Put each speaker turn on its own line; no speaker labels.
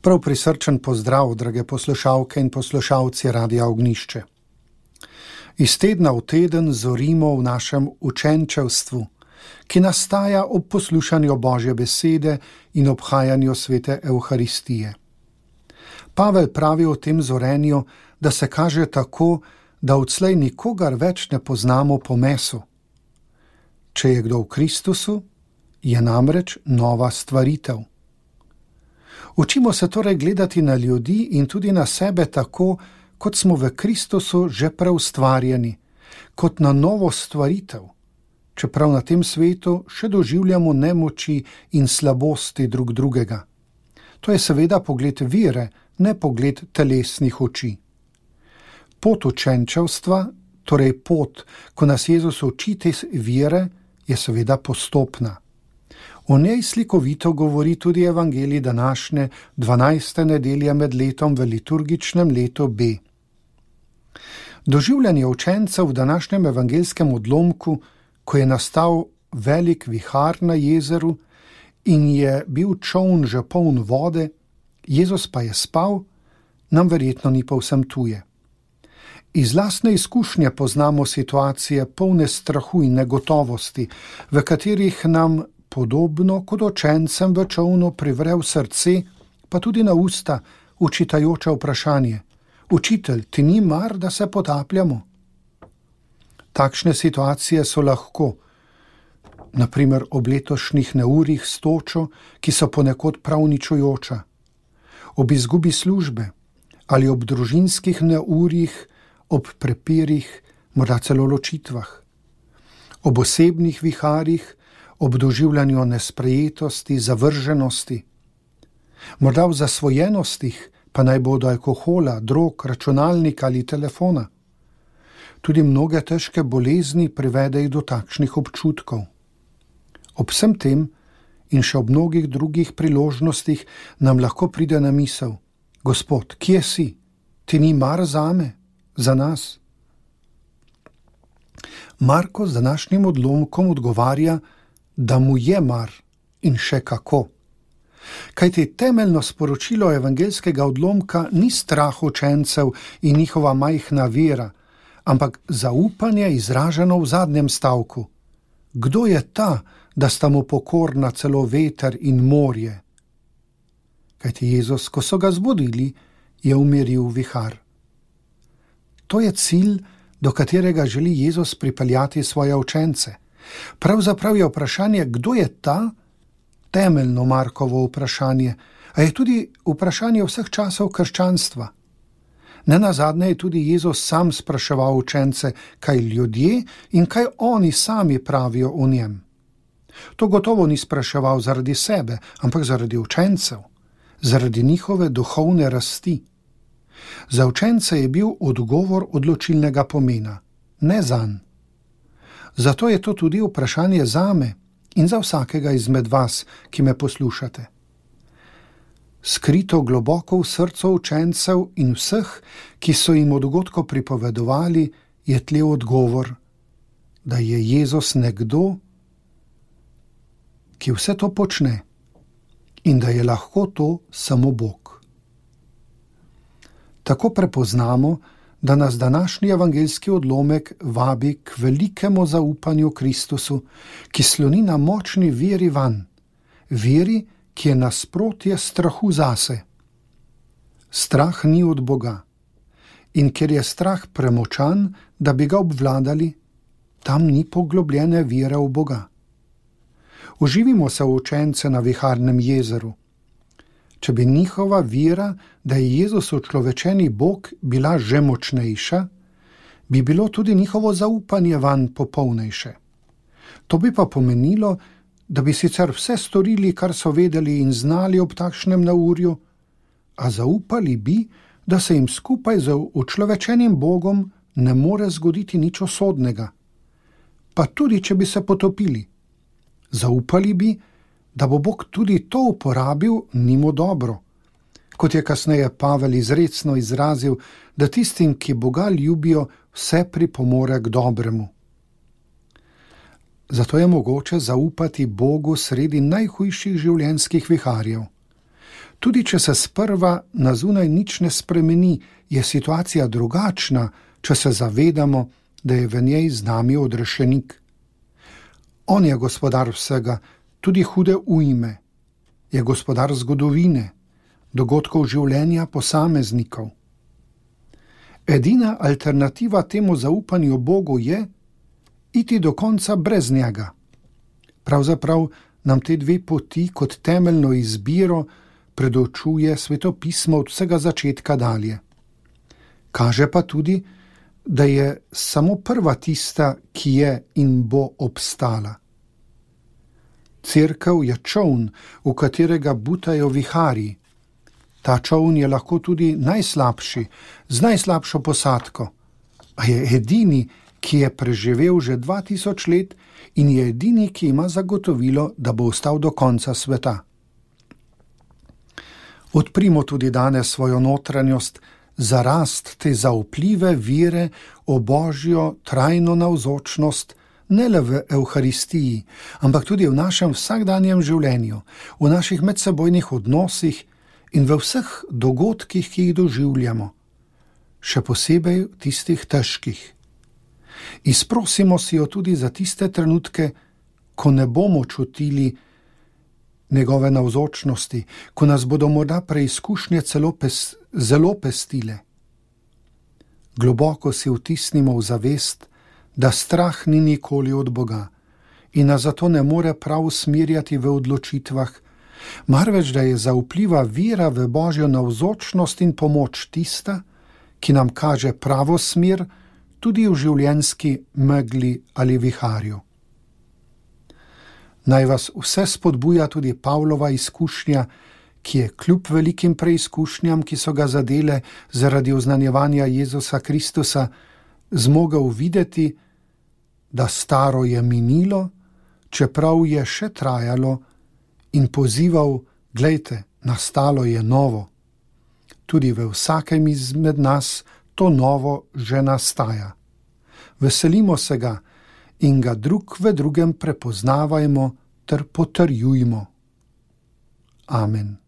Prav prisrčen pozdrav, drage poslušalke in poslušalci Radia Ognjišče. Iz tedna v teden zorimo v našem učenčevstvu, ki nastaja ob poslušanju Božje besede in obhajanju svete Evharistije. Pavel pravi o tem zorenju, da se kaže tako, da odslej nikogar več ne poznamo po mesu. Če je kdo v Kristusu, je namreč nova stvaritev. Učimo se torej gledati na ljudi in tudi na sebe tako, kot smo v Kristusu že preustvarjeni, kot na novo stvaritev, čeprav na tem svetu še doživljamo nemoči in slabosti drug drugega. To je seveda pogled vere, ne pogled telesnih oči. Pot učenčevstva, torej pot, ko nas Jezus uči te vere, je seveda postopna. O njej slikovito govori tudi evangelij današnje 12. nedelje med letom v liturgičnem letu B. Doživljanje učencev v današnjem evangelskem odlomku, ko je nastal velik vihar na jezeru in je bil čoln že poln vode, Jezus pa je spal, nam verjetno ni povsem tuje. Iz lastne izkušnje poznamo situacije polne strahu in negotovosti, v katerih nam podobno kot učencem v čolnu privre v srce, pa tudi na usta, učitajoče vprašanje: Učitelj, ti ni mar, da se potapljamo? Takšne situacije so lahko, naprimer ob letošnjih neurjih s točo, ki so ponekod prav uničujoča, ob izgubi službe ali ob družinskih neurjih, ob prepirih, morda celo ločitvah, ob osebnih viharjih, ob doživljanju nesprejetosti, zavrženosti, morda v zasvojenostih, pa naj bo do alkohola, drog, računalnika ali telefona. Tudi mnoge težke bolezni privedejo do takšnih občutkov. Ob vsem tem in še ob mnogih drugih priložnostih nam lahko pride na misel: Gospod, kje si? Ti ni mar zame, za nas? Marko z današnjim odlomkom odgovarja, da mu je mar in še kako. Kajti temeljno sporočilo evangelskega odlomka ni strah učencev in njihova majhna vera, ampak zaupanje izraženo v zadnjem stavku. Kdo je ta, da sta mu pokorna celo veter in morje? Kajti Jezus, ko so ga zbudili, je umiril vihar. To je cilj, do katerega želi Jezus pripeljati svoje učence. Pravzaprav je vprašanje, kdo je ta, temeljno Markovo vprašanje, a je tudi vprašanje vseh časov krščanstva. Nenazadnje je tudi Jezus sam spraševal učence, kaj ljudje in kaj oni sami pravijo o njem. To gotovo ni spraševal zaradi sebe, ampak zaradi učencev, zaradi njihove duhovne rasti. Za učence je bil odgovor odločilnega pomena, ne zanj. Zato je to tudi vprašanje zame in za vsakega izmed vas, ki me poslušate. Skrito globoko v srcu učencev in vseh, ki so jim o dogodku pripovedovali, je tle odgovor, da je Jezus nekdo, ki vse to počne in da je lahko to samo Bog. Tako prepoznamo, da nas današnji evangelski odlomek vabi k velikemu zaupanju Kristusu, ki sloni na močni veri vanj, veri, ki je nasprotje strahu zase. Strah ni od Boga in ker je strah premočan, da bi ga obvladali, tam ni poglobljene vere v Boga. Uživimo se v učence na viharnem jezeru. Če bi njihova vera, da je Jezus učlovečeni Bog, bila že močnejša, bi bilo tudi njihovo zaupanje vanj popolnejše. To bi pa pomenilo, da bi sicer vse storili, kar so vedeli in znali ob takšnem neurju, a zaupali bi, da se jim skupaj z učlovečenim Bogom ne more zgoditi nič usodnega. Pa tudi, če bi se potopili. Zaupali bi, da bo Bog tudi to uporabil njim dobro. Kot je kasneje Pavel izrecno izrazil, da tistim, ki Boga ljubijo, vse pripomore k dobremu. Zato je mogoče zaupati Bogu sredi najhujših življenjskih viharjev. Tudi če se sprva na zunaj nič ne spremeni, je situacija drugačna, če se zavedamo, da je v njej z nami odrešenik. On je gospodar vsega, tudi hude ujme. Je gospodar zgodovine, dogodkov življenja posameznikov. Edina alternativa temu zaupanju Bogu je iti do konca brez njega. Pravzaprav nam te dve poti kot temeljno izbiro predočuje Sveto pismo od vsega začetka dalje. Kaže pa tudi, da je samo prva tista, ki je in bo obstala. Cerkev je čoln, v katerega butajo viharji. Ta čoln je lahko tudi najslabši, z najslabšo posadko, a je edini, ki je preživel že 2000 let in je edini, ki ima zagotovilo, da bo ostal do konca sveta. Odprimo tudi danes svojo notranjost za rast te zaupljive vire o Božjo trajno navzočnost, ne le v Evharistiji, ampak tudi v našem vsakdanjem življenju, v naših medsebojnih odnosih in v vseh dogodkih, ki jih doživljamo, še posebej tistih težkih. Izprosimo si jo tudi za tiste trenutke, ko ne bomo čutili njegove navzočnosti, ko nas bodo morda preizkušnje zelo pestile. Globoko si vtisnimo v zavest, da strah ni nikoli od Boga in nas zato ne more prav usmerjati v odločitvah, marveč da je zaupljiva vera v Božjo navzočnost in pomoč tista, ki nam kaže pravo smer tudi v življenjski megli ali viharju. Naj vas vse spodbuja tudi Pavlova izkušnja, ki je kljub velikim preizkušnjam, ki so ga zadele zaradi oznanjevanja Jezusa Kristusa, zmogel videti, da staro je minilo, čeprav je še trajalo, in pozival, glejte, nastalo je novo. Tudi v vsakem izmed nas to novo že nastaja. Veselimo se ga in ga drug v drugem prepoznavajmo ter potrjujmo. Amen.